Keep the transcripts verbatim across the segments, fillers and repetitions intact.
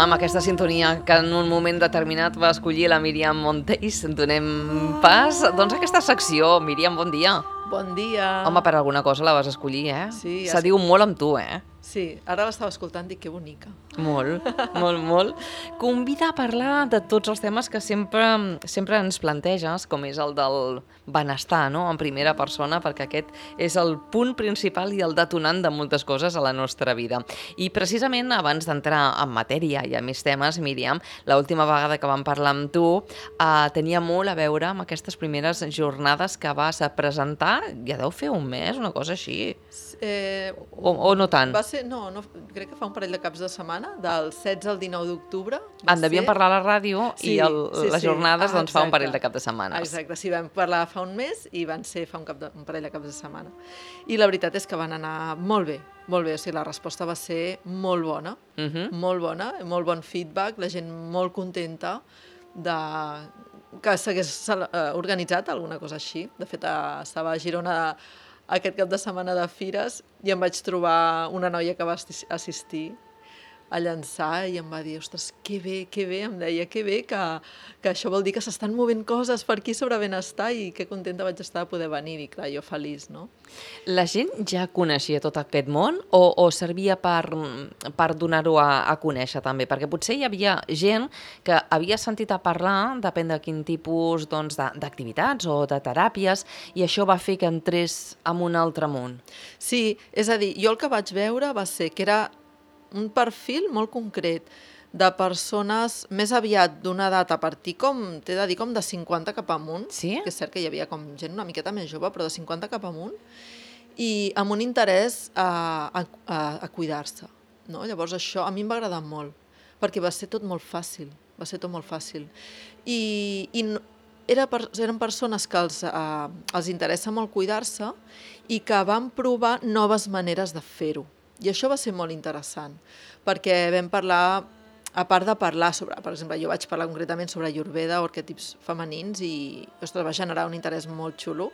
amb aquesta sintonia que en un moment determinat va escollir la Míriam Monteis. Donem pas, doncs, a aquesta secció. Míriam, bon dia. Bon dia. Home, per alguna cosa la vas escollir, eh? Sí. Se diu molt amb tu, eh? Sí, ara l'estava escoltant i dic, que bonica. Molt, molt, molt. Convida a parlar de tots els temes que sempre, sempre ens planteges, com és el del benestar, no?, en primera persona, perquè aquest és el punt principal i el detonant de moltes coses a la nostra vida. I precisament abans d'entrar en matèria i a més temes, Míriam, l'última vegada que vam parlar amb tu eh, tenia molt a veure amb aquestes primeres jornades que vas a presentar, ja deu fer un mes, una cosa així. Eh, o, o no tant? Va ser, no, no, crec que fa un parell de caps de setmana, del setze al dinou d'octubre. En devien ser... parlar a la ràdio sí, i el, sí, les jornades sí. Ah, doncs, fa un parell de caps de setmanes. Exacte, sí, vam parlar fa un mes i van ser fa un, cap de, un parell de caps de setmana. I la veritat és que van anar molt bé, molt bé, o sigui, la resposta va ser molt bona, uh -huh. molt bona, molt bon feedback, la gent molt contenta de que s'hagués organitzat alguna cosa així. De fet, estava a Girona aquest cap de setmana de fires i em vaig trobar una noia que va assistir a llançar i em va dir, ostres, que bé, que bé, em deia, que bé, que, que això vol dir que s'estan movent coses per aquí sobre benestar i que contenta vaig estar de poder venir i clar, jo feliç, no? La gent ja coneixia tot aquest món o, o servia per, per donar-ho a, a conèixer també? Perquè potser hi havia gent que havia sentit a parlar, depèn de quin tipus doncs, d'activitats o de teràpies, i això va fer que entrés en un altre món. Sí, és a dir, jo el que vaig veure va ser que era un perfil molt concret de persones més aviat d'una edat a partir, com t'he de dir, com de cinquanta cap amunt, sí? Que és cert que hi havia com gent una miqueta més jove, però de cinquanta cap amunt, i amb un interès a, a, a, a cuidar-se. No? Llavors això a mi em va agradar molt, perquè va ser tot molt fàcil, va ser tot molt fàcil. I, i era per, eren persones que els, eh, els interessa molt cuidar-se i que van provar noves maneres de fer-ho. I això va ser molt interessant, perquè vam parlar, a part de parlar sobre, per exemple, jo vaig parlar concretament sobre Ayurveda o arquetips femenins i, ostres, va generar un interès molt xulo.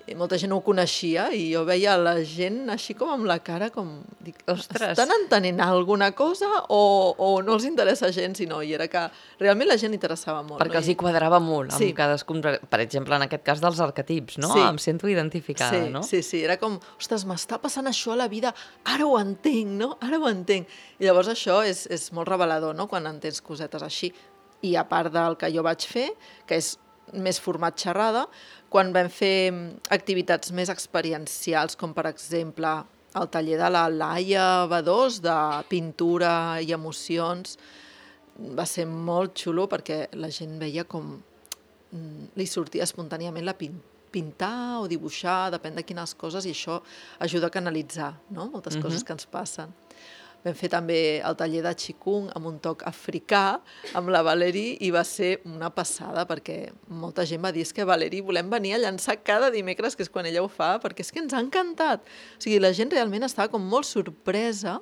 I molta gent no ho coneixia i jo veia la gent així com amb la cara, com, dic, ostres, estan entenent alguna cosa o, o no els interessa gens, sinó, i era que realment la gent interessava molt. Perquè no? els hi quadrava molt amb sí. cadascun, per exemple, en aquest cas dels arquetips, no? Sí. Em sento identificada, sí, no? Sí, sí, era com, ostres, m'està passant això a la vida, ara ho entenc, no? Ara ho entenc. I llavors això és, és molt revelador, no?, quan entens cosetes així. I a part del que jo vaig fer, que és més format xerrada, quan vam fer activitats més experiencials, com per exemple el taller de la Laia Badós de pintura i emocions, va ser molt xulo perquè la gent veia com li sortia espontàniament la pintura, pintar o dibuixar, depèn de quines coses, i això ajuda a canalitzar, no?, moltes uh-huh. coses que ens passen. Vam fer també el taller de Qigong amb un toc africà, amb la Valerie, i va ser una passada, perquè molta gent va dir, és que Valerie, volem venir a llançar cada dimecres, que és quan ella ho fa, perquè és que ens ha encantat. O sigui, la gent realment estava com molt sorpresa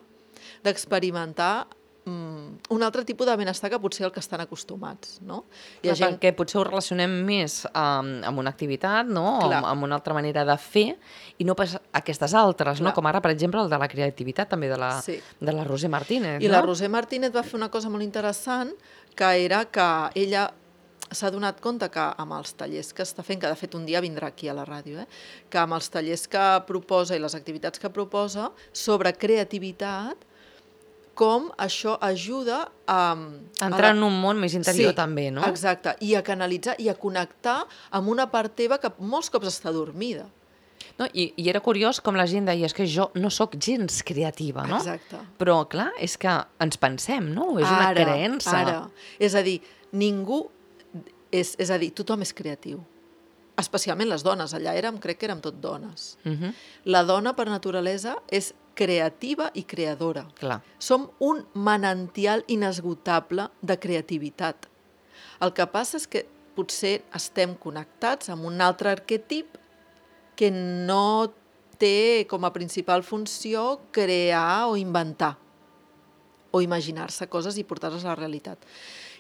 d'experimentar um, un altre tipus de benestar que potser el que estan acostumats, no? Hi ha gent... Perquè potser ho relacionem més um, amb una activitat, no?, o amb, amb una altra manera de fer, i no pas aquestes altres, Clar. no? Com ara, per exemple, el de la creativitat, també de la, sí. de la Roser Martínez. I no? la Roser Martínez va fer una cosa molt interessant, que era que ella s'ha donat compte que amb els tallers que està fent, que de fet un dia vindrà aquí a la ràdio, eh? que amb els tallers que proposa i les activitats que proposa sobre creativitat, com això ajuda a... Entrar a la... en un món més interior sí, també, no? Exacte, i a canalitzar i a connectar amb una part teva que molts cops està dormida. No, i, I era curiós com la gent deia, és que jo no sóc gens creativa, no? Exacte. Però, clar, és que ens pensem, no? És ara, una creença. Ara, és a dir, ningú... És, és a dir, tothom és creatiu. Especialment les dones. Allà érem, crec que érem tot dones. Uh-huh. La dona, per naturalesa, és creativa i creadora. Clar. Som un manantial inesgotable de creativitat. El que passa és que potser estem connectats amb un altre arquetip que no té com a principal funció crear o inventar o imaginar-se coses i portar-les a la realitat.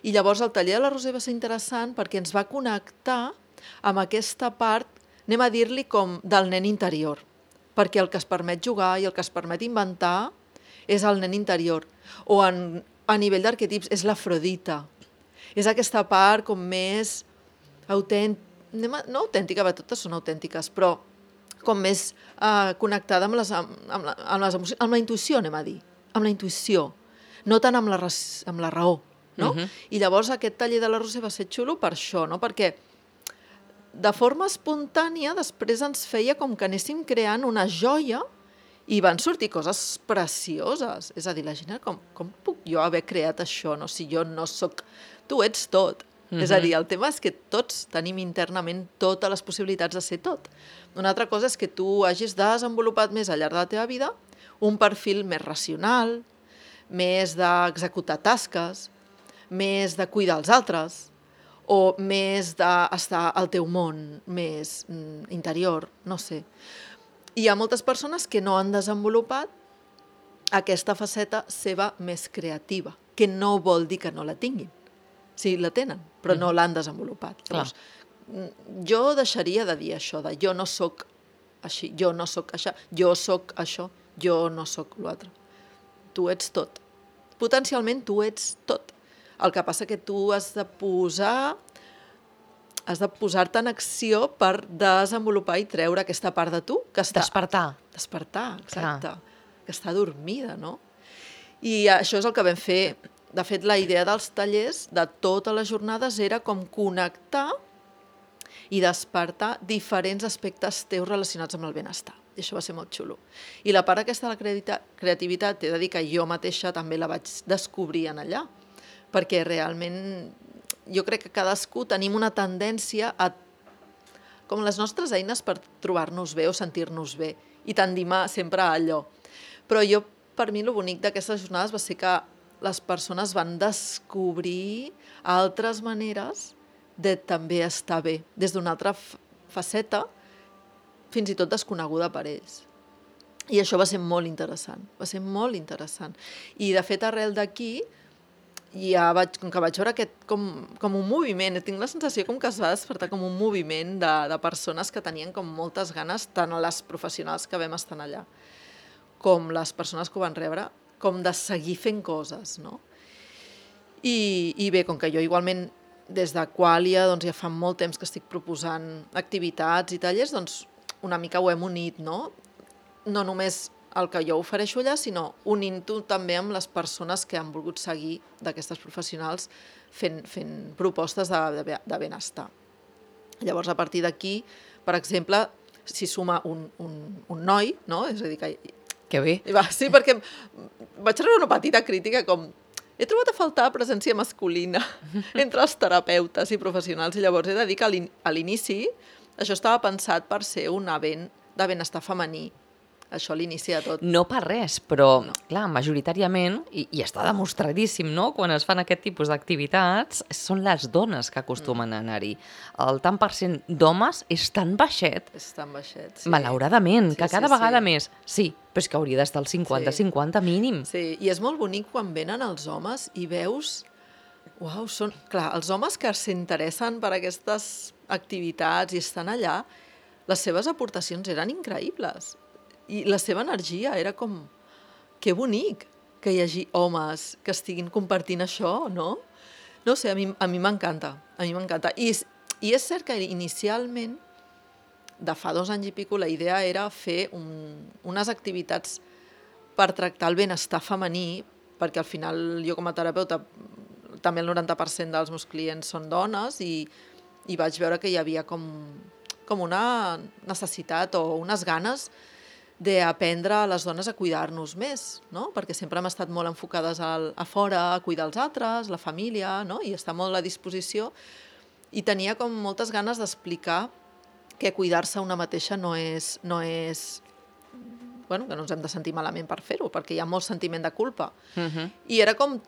I llavors el taller de la Roser va ser interessant perquè ens va connectar amb aquesta part, anem a dir-li com del nen interior, perquè el que es permet jugar i el que es permet inventar és el nen interior. O en a nivell d'arquetips, és l'Afrodita. És aquesta part com més autèntica, no autèntica, totes són autèntiques, però com més eh, connectada amb les, amb, amb, la, amb les emocions, amb la intuïció, anem a dir, amb la intuïció, no tant amb la, amb la raó, no? Uh-huh. I llavors aquest taller de la Roser va ser xulo per això, no? Perquè de forma espontània després ens feia com que anéssim creant una joia i van sortir coses precioses. És a dir, la gent, com, com puc jo haver creat això, no? Si jo no sóc... Tu ets tot. Uh-huh. És a dir, el tema és que tots tenim internament totes les possibilitats de ser tot. Una altra cosa és que tu hagis desenvolupat més al llarg de la teva vida un perfil més racional, més d'executar tasques, més de cuidar els altres, o més d'estar al teu món més mm, interior, no sé. Hi ha moltes persones que no han desenvolupat aquesta faceta seva més creativa, que no vol dir que no la tinguin. Sí, la tenen, però no l'han desenvolupat. Llavors, jo deixaria de dir això, de jo no sóc així, jo no sóc això, jo sóc això, jo no sóc l'altre. Tu ets tot. Potencialment tu ets tot. El que passa que tu has de posar has de posar-te en acció per desenvolupar i treure aquesta part de tu que està... Despertar. Despertar, exacte. Clar. Que està dormida, no? I això és el que vam fer. De fet, la idea dels tallers de totes les jornades era com connectar i despertar diferents aspectes teus relacionats amb el benestar. I això va ser molt xulo. I la part aquesta de la creativitat, he de dir que jo mateixa també la vaig descobrir en allà, perquè realment jo crec que cadascú tenim una tendència a, com les nostres eines per trobar-nos bé o sentir-nos bé, i tendim sempre a allò. Però jo, per mi, el bonic d'aquestes jornades va ser que les persones van descobrir altres maneres de també estar bé, des d'una altra faceta, fins i tot desconeguda per ells. I això va ser molt interessant, va ser molt interessant. I, de fet, arrel d'aquí, ja vaig, com que vaig veure aquest, com, com un moviment, tinc la sensació com que es va despertar com un moviment de, de persones que tenien com moltes ganes, tant les professionals que vam estar allà, com les persones que ho van rebre, com de seguir fent coses, no? I, i bé, com que jo igualment des de Qualia doncs, ja fa molt temps que estic proposant activitats i tallers, doncs una mica ho hem unit, no? No només el que jo ofereixo allà, sinó unint-ho també amb les persones que han volgut seguir d'aquestes professionals fent, fent propostes de, de, de benestar. Llavors, a partir d'aquí, per exemple, s'hi suma un, un, un noi, no? És a dir, que... Que bé. Va, sí, perquè vaig rebre una petita crítica com he trobat a faltar presència masculina entre els terapeutes i professionals, i llavors he de dir que a l'inici això estava pensat per ser un event de benestar femení. Això a l'inici de tot. No per res, però, no. clar, majoritàriament, i, i està demostradíssim, no?, quan es fan aquest tipus d'activitats, són les dones que acostumen mm. a anar-hi. El tant per cent d'homes és tan baixet. És tan baixet, sí. Malauradament, sí, que cada sí, vegada sí. més. Sí, però és que hauria d'estar al cinquanta cinquanta sí. mínim. Sí, i és molt bonic quan venen els homes i veus... Uau, són... Clar, els homes que s'interessen per aquestes activitats i estan allà, les seves aportacions eren increïbles. I la seva energia era com... Que bonic que hi hagi homes que estiguin compartint això, no? No sé, a mi a mi m'encanta, a mi m'encanta. I, I és cert que inicialment, de fa dos anys i pico, la idea era fer un, unes activitats per tractar el benestar femení, perquè al final jo com a terapeuta també el noranta per cent dels meus clients són dones i, i vaig veure que hi havia com, com una necessitat o unes ganes d'aprendre a les dones a cuidar-nos més, no? Perquè sempre hem estat molt enfocades al, a fora, a cuidar els altres, la família, no? I estar molt a disposició. I tenia com moltes ganes d'explicar que cuidar-se una mateixa no és, no és... Bueno, que no ens hem de sentir malament per fer-ho, perquè hi ha molt sentiment de culpa. Uh-huh. I era com,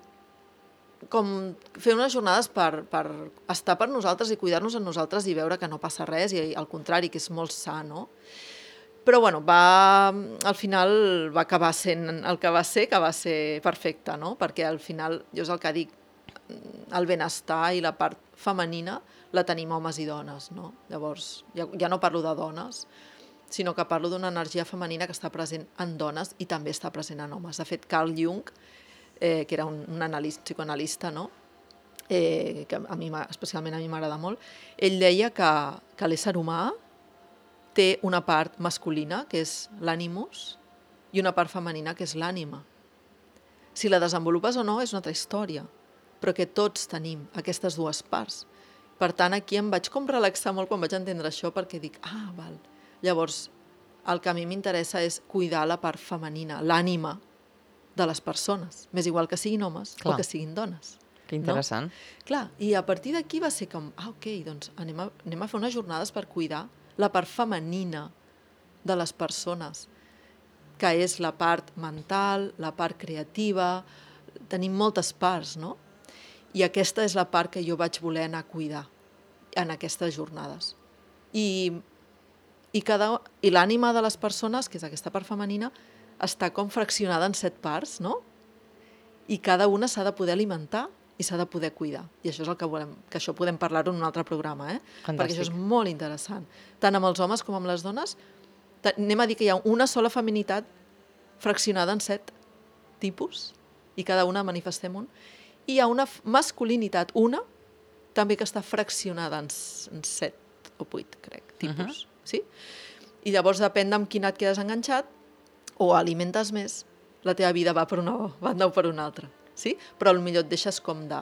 com fer unes jornades per, per estar per nosaltres i cuidar-nos en nosaltres i veure que no passa res, i al contrari, que és molt sa, no? Però, bueno, va, al final va acabar sent el que va ser, que va ser perfecte, no? Perquè al final, jo és el que dic, el benestar i la part femenina la tenim homes i dones, no? Llavors, ja, ja no parlo de dones, sinó que parlo d'una energia femenina que està present en dones i també està present en homes. De fet, Carl Jung eh, que era un, un analista, psicoanalista, no? eh, que a mi, especialment a mi m'agrada molt, ell deia que, que l'ésser humà té una part masculina, que és l'ànimus, i una part femenina, que és l'ànima. Si la desenvolupes o no és una altra història, però que tots tenim aquestes dues parts. Per tant, aquí em vaig com relaxar molt quan vaig entendre això, perquè dic, ah, val. Llavors, el que a mi m'interessa és cuidar la part femenina, l'ànima de les persones, més igual que siguin homes Clar. O que siguin dones. Que interessant. No? Clar, i a partir d'aquí va ser com, ah, ok, doncs anem a, anem a fer unes jornades per cuidar la part femenina de les persones, que és la part mental, la part creativa, tenim moltes parts, no? I aquesta és la part que jo vaig voler anar a cuidar en aquestes jornades. I, i, cada, i l'ànima de les persones, que és aquesta part femenina, està com fraccionada en set parts, no? I cada una s'ha de poder alimentar i s'ha de poder cuidar. I això és el que volem, que això podem parlar-ho en un altre programa, eh? Fantàstic. Perquè això és molt interessant. Tant amb els homes com amb les dones, anem a dir que hi ha una sola feminitat fraccionada en set tipus, i cada una manifestem un, i hi ha una masculinitat, una, també que està fraccionada en, en set o vuit, crec, tipus. Uh-huh. Sí? I llavors depèn amb quina et quedes enganxat, o alimentes més, la teva vida va per una banda o per una altra. Sí? Però potser et deixes com de,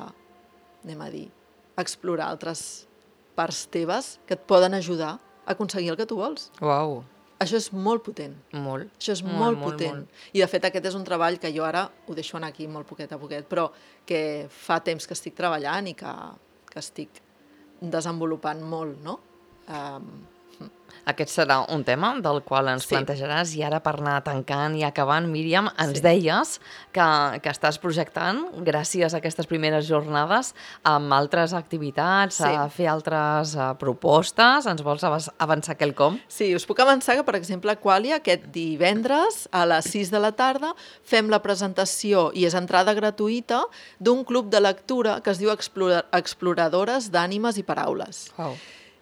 anem a dir, explorar altres parts teves que et poden ajudar a aconseguir el que tu vols. Uau. Això és molt potent. Molt. Això és molt, molt potent. Molt, molt. I de fet aquest és un treball que jo ara ho deixo anar aquí molt poquet a poquet, però que fa temps que estic treballant i que, que estic desenvolupant molt, no? Um, Aquest serà un tema del qual ens Sí. plantejaràs, i ara per anar tancant i acabant, Míriam, ens Sí. deies que, que estàs projectant, gràcies a aquestes primeres jornades, amb altres activitats, Sí. a fer altres uh, propostes. Ens vols avanç- avançar quelcom? Sí, us puc avançar que, per exemple, a Qualia, aquest divendres a les sis de la tarda fem la presentació, i és entrada gratuïta, d'un club de lectura que es diu Explora- Exploradores d'Ànimes i Paraules. Wow.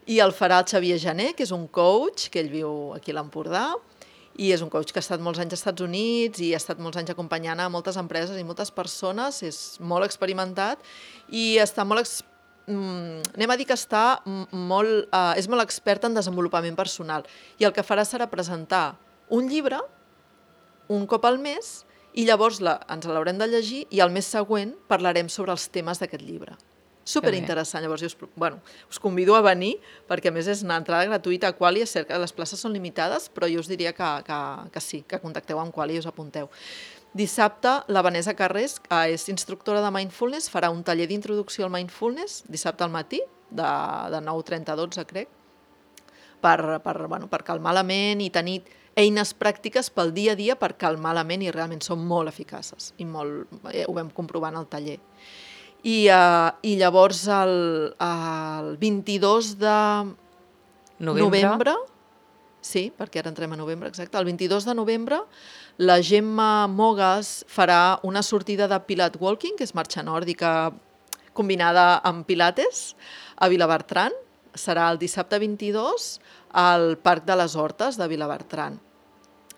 I el farà el Xavier Jané, que és un coach, que ell viu aquí a l'Empordà, i és un coach que ha estat molts anys als Estats Units i ha estat molts anys acompanyant a moltes empreses i moltes persones, és molt experimentat i està molt... Ex... Mm, anem a dir que està molt, uh, és molt expert en desenvolupament personal, i el que farà serà presentar un llibre un cop al mes, i llavors la, ens l'haurem de llegir, i al mes següent parlarem sobre els temes d'aquest llibre. Superinteressant. Llavors, jo us, bueno, us convido a venir, perquè a més és una entrada gratuïta a Qualia. És cert que les places són limitades, però jo us diria que, que, que sí, que contacteu amb Qualia i us apunteu. Dissabte, la Vanessa Carrés, que és instructora de Mindfulness, farà un taller d'introducció al Mindfulness, dissabte al matí, de, de nou trenta a dotze, crec, per, per, bueno, per calmar la ment i tenir eines pràctiques pel dia a dia per calmar la ment, i realment són molt eficaces, i molt, eh, ho vam comprovar en el taller. I, uh, i llavors el, el vint-i-dos de Novembre. novembre, sí, perquè ara entrem a novembre, exacte, el vint-i-dos de novembre la Gemma Mogas farà una sortida de Pilat Walking, que és marxa nòrdica combinada amb pilates, a Vilabertran. Serà el dissabte vint-i-dos al Parc de les Hortes de Vilabertran.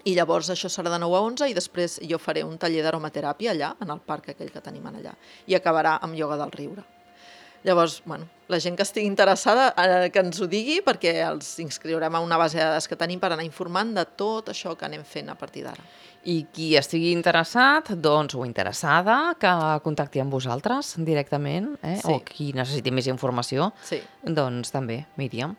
I llavors això serà de nou a onze, i després jo faré un taller d'aromateràpia allà, en el parc aquell que tenim allà, i acabarà amb ioga del riure. Llavors, bueno, la gent que estigui interessada, eh, que ens ho digui, perquè els inscriurem a una base de dades que tenim per anar informant de tot això que anem fent a partir d'ara. I qui estigui interessat, doncs, o interessada, que contacti amb vosaltres directament, eh? Sí. O qui necessiti més informació, Sí. doncs també, Míriam.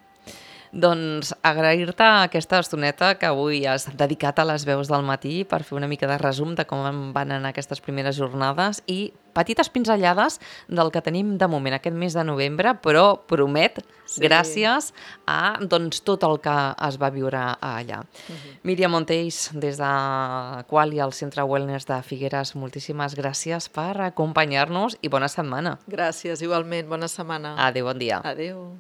Doncs agrair-te aquesta estoneta que avui has dedicat a les veus del matí per fer una mica de resum de com van anar aquestes primeres jornades i petites pinzellades del que tenim de moment aquest mes de novembre, però promet, Sí. gràcies a doncs, tot el que es va viure allà. Uh-huh. Míriam Montells, des de Qualia, al Centre Wellness de Figueres, moltíssimes gràcies per acompanyar-nos i bona setmana. Gràcies, igualment. Bona setmana. Adéu, bon dia. Adéu.